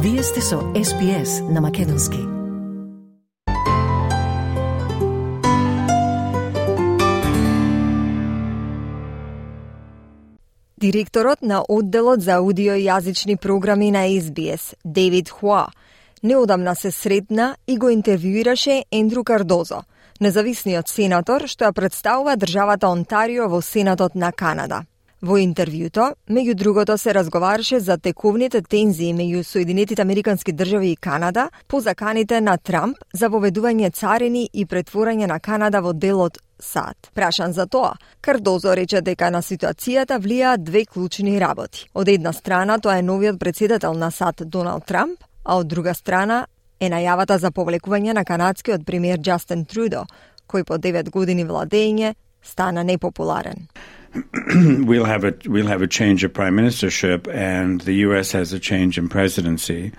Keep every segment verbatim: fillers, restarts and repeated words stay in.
Вие сте со Ес Би Ес на Македонски. Директорот на одделот за аудиојазични програми на Ес Би Ес, Дейвид Хуа, неодамна се сретна и го интервјуираше Ендрю Кардозо, независниот сенатор што ја представува државата Онтарио во Сенатот на Канада. Во интервјуто, меѓу другото, се разговараше за тековните тензии меѓу Соединетите Американски држави и Канада по заканите на Трамп за воведување царини и претворање на Канада во дел од САД. Прашан за тоа, Кардозо рече дека на ситуацијата влијаат две клучни работи. Од една страна тоа е новиот претседател на САД Доналд Трамп, а од друга страна е најавата за повлекување на канадскиот премиер Џастин Трудо, кој по девет години владење стана непопуларен. We'll have a we'll have a change of prime ministership, and the U S has a change in presidency,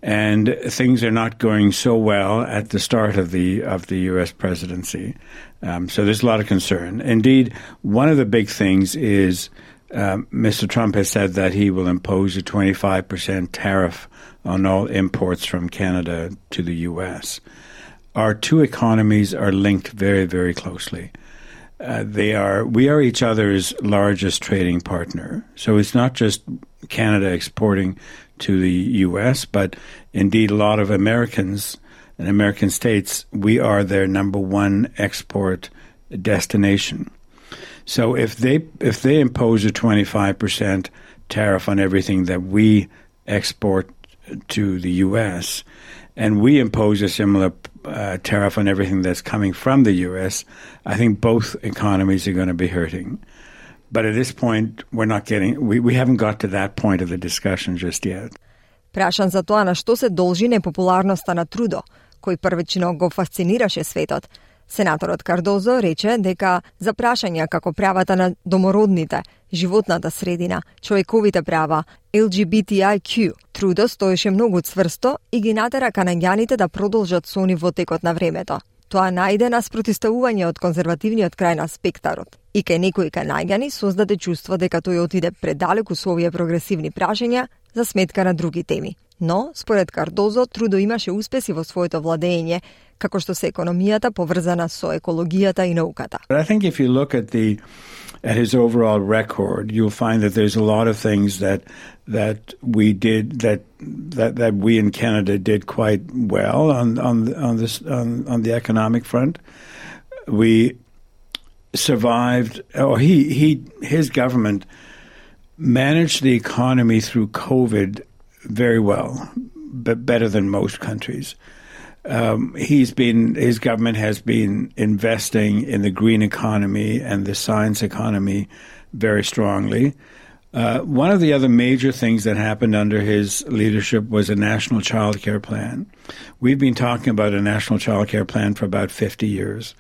and things are not going so well at the start of the of the U S presidency. Um, so there's a lot of concern. Indeed, one of the big things is um, Mister Trump has said that he will impose a twenty-five percent tariff on all imports from Canada to the U S. Our two economies are linked very, very closely. Uh, they are, we are each other's largest trading partner. So it's not just Canada exporting to the U S, but indeed a lot of Americans and American states, we are their number one export destination. So if they, if they impose a twenty-five percent tariff on everything that we export to the U S, and we impose a similar uh, tariff on everything that's coming from the U S, I think both economies are going to be hurting. But at this point, we're not getting, we, we haven't got to that point of the discussion just yet. Прашан за тоа на што се должи непопуларноста на Трудо, кој првично го фасцинираше светот, сенаторот Кардозо рече дека за прашања како правата на домородните, животната средина, човековите права, Ел Џи Би Ти Ај Кју, Трудо стоеше многу цврсто и ги натера канаѓаните да продолжат со нив во текот на времето. Тоа најде на спротивставување од конзервативниот крај на спектарот и кај некои канаѓани создаде чувство дека тој отиде предалеку со овие прогресивни прашања за сметка на други теми. Но, според Кардозо, Трудо имаше успеси во своето владење, како што се економијата поврзана со екологијата и науката. But I think if you look at the at his overall record, you'll find that there's a lot of things that that we did that that that we in Canada did quite well on on on this on, on the economic front. We survived, or he he his government managed the economy through COVID very well, but better than most countries. Um, he's been, his government has been investing in the green economy and the science economy very strongly. Uh, one of the other major things that happened under his leadership was a national child care plan. We've been talking about a national child care plan for about fifty years.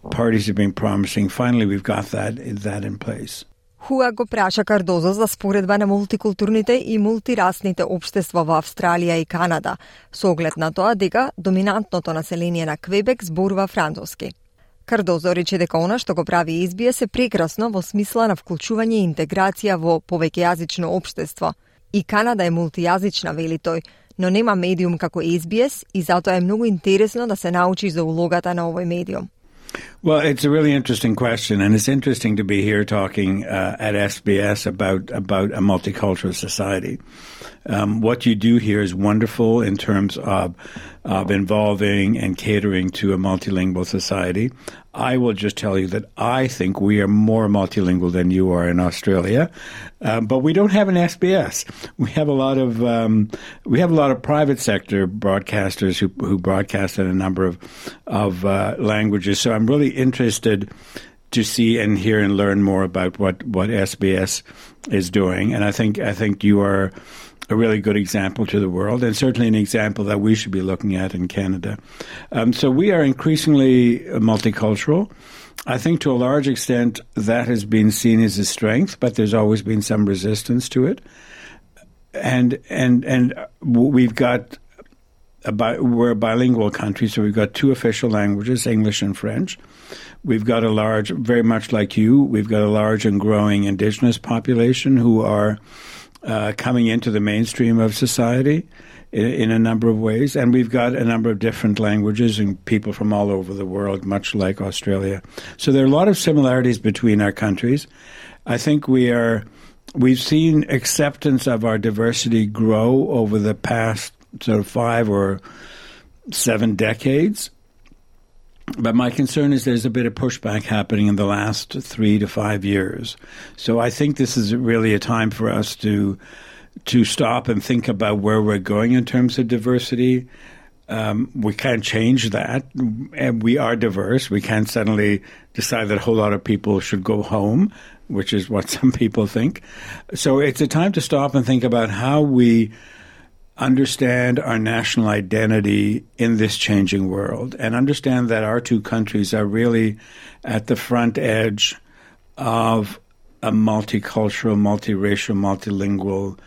Parties have been promising. Finally, we've got that, that in place. Хуа го праша Кардозо за споредба на мултикултурните и мултирасните општества во Австралија и Канада, со оглед на тоа дека доминантното население на Квебек зборува француски. Кардозо рече дека она што го прави Ес Би Ес е прекрасно во смисла на вклучување и интеграција во повеќејазично општество. И Канада е мултијазична, вели тој, но нема медиум како Ес Би Ес и затоа е многу интересно да се научи за улогата на овој медиум. Well, it's a really interesting question, and it's interesting to be here talking uh, at S B S about about a multicultural society. Um, what you do here is wonderful in terms of of involving and catering to a multilingual society. I will just tell you that I think we are more multilingual than you are in Australia, uh, but we don't have an S B S. We have a lot of um, we have a lot of private sector broadcasters who who broadcast in a number of of uh, languages. So I'm really interested to see and hear and learn more about what what S B S is doing, and I think I think you are a really good example to the world, and certainly an example that we should be looking at in Canada. Um, so we are increasingly multicultural. I think to a large extent that has been seen as a strength, but there's always been some resistance to it. And and and we've got a bi- we're a bilingual country, so we've got two official languages, English and French. We've got a large, very much like you, we've got a large and growing Indigenous population who are uh, coming into the mainstream of society in, in a number of ways. And we've got a number of different languages and people from all over the world, much like Australia. So there are a lot of similarities between our countries. I think we are, we've seen acceptance of our diversity grow over the past sort of five or seven decades. But my concern is there's a bit of pushback happening in the last three to five years. So I think this is really a time for us to to stop and think about where we're going in terms of diversity. Um, we can't change that. And we are diverse. We can't suddenly decide that a whole lot of people should go home, which is what some people think. So it's a time to stop and think about how we understand our national identity in this changing world and understand that our two countries are really at the front edge of a multicultural, multiracial, multilingual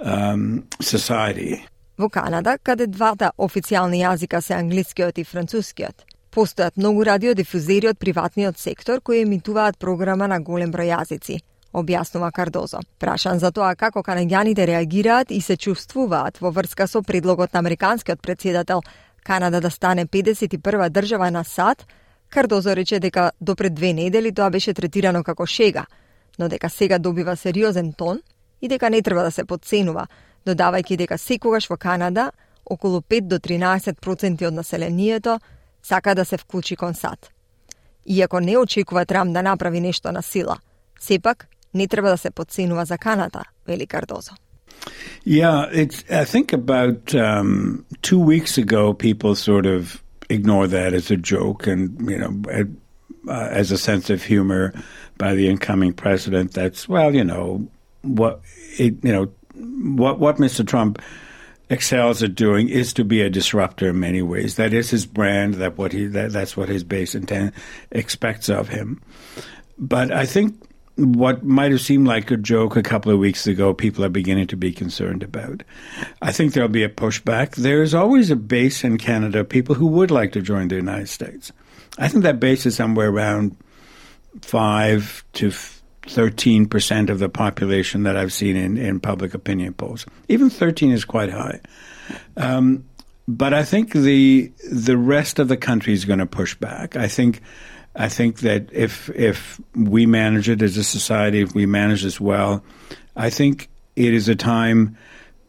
um, society. Во Канада, каде двата официјални јазика се англискиот и францускиот, постојат многу радиодифузери од приватниот сектор кои емитуваат програма на голем број јазици, објаснува Кардозо. Прашан за тоа како канаѓаните реагираат и се чувствуваат во врска со предлогот на американскиот претседател Канада да стане педесет и прва држава на САД, Кардозо рече дека до пред две недели тоа беше третирано како шега, но дека сега добива сериозен тон и дека не треба да се потценува, додавајќи дека секогаш во Канада околу пет до тринаесет проценти од населението сака да се вклучи кон САД. Иако не очекува Трамп да направи нешто на сила, сепак не треба да се потценува за Канада, вели Кардозо. Yeah, it's, I think about um, two weeks ago, people sort of ignore that as a joke and, you know, uh, as a sense of humor by the incoming president. That's, well, you know, what, it, you know, what, what Mister Trump excels at doing is to be a disruptor in many ways. That is his brand. That what he, that, that's what his base intent expects of him. But I think what might have seemed like a joke a couple of weeks ago, people are beginning to be concerned about. I think there'll be a pushback. There is always a base in Canada of people who would like to join the United States. I think that base is somewhere around five to thirteen percent of the population that I've seen in, in public opinion polls. Even thirteen is quite high. Um, but I think the the rest of the country is going to push back. I think I think that if if we manage it as a society, if we manage this well, I think it is a time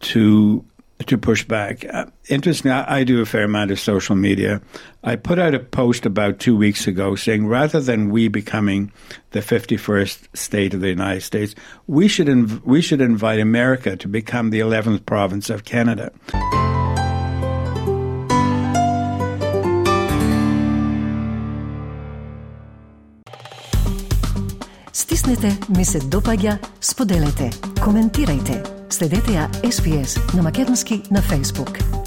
to to push back. Uh, interestingly, I, I do a fair amount of social media. I put out a post about two weeks ago saying rather than we becoming the fifty-first state of the United States, we should inv- we should invite America to become the eleventh province of Canada. Стиснете, ми се допаѓа, споделете, коментирајте. Следете ја Ес Би Ес на македонски на Facebook.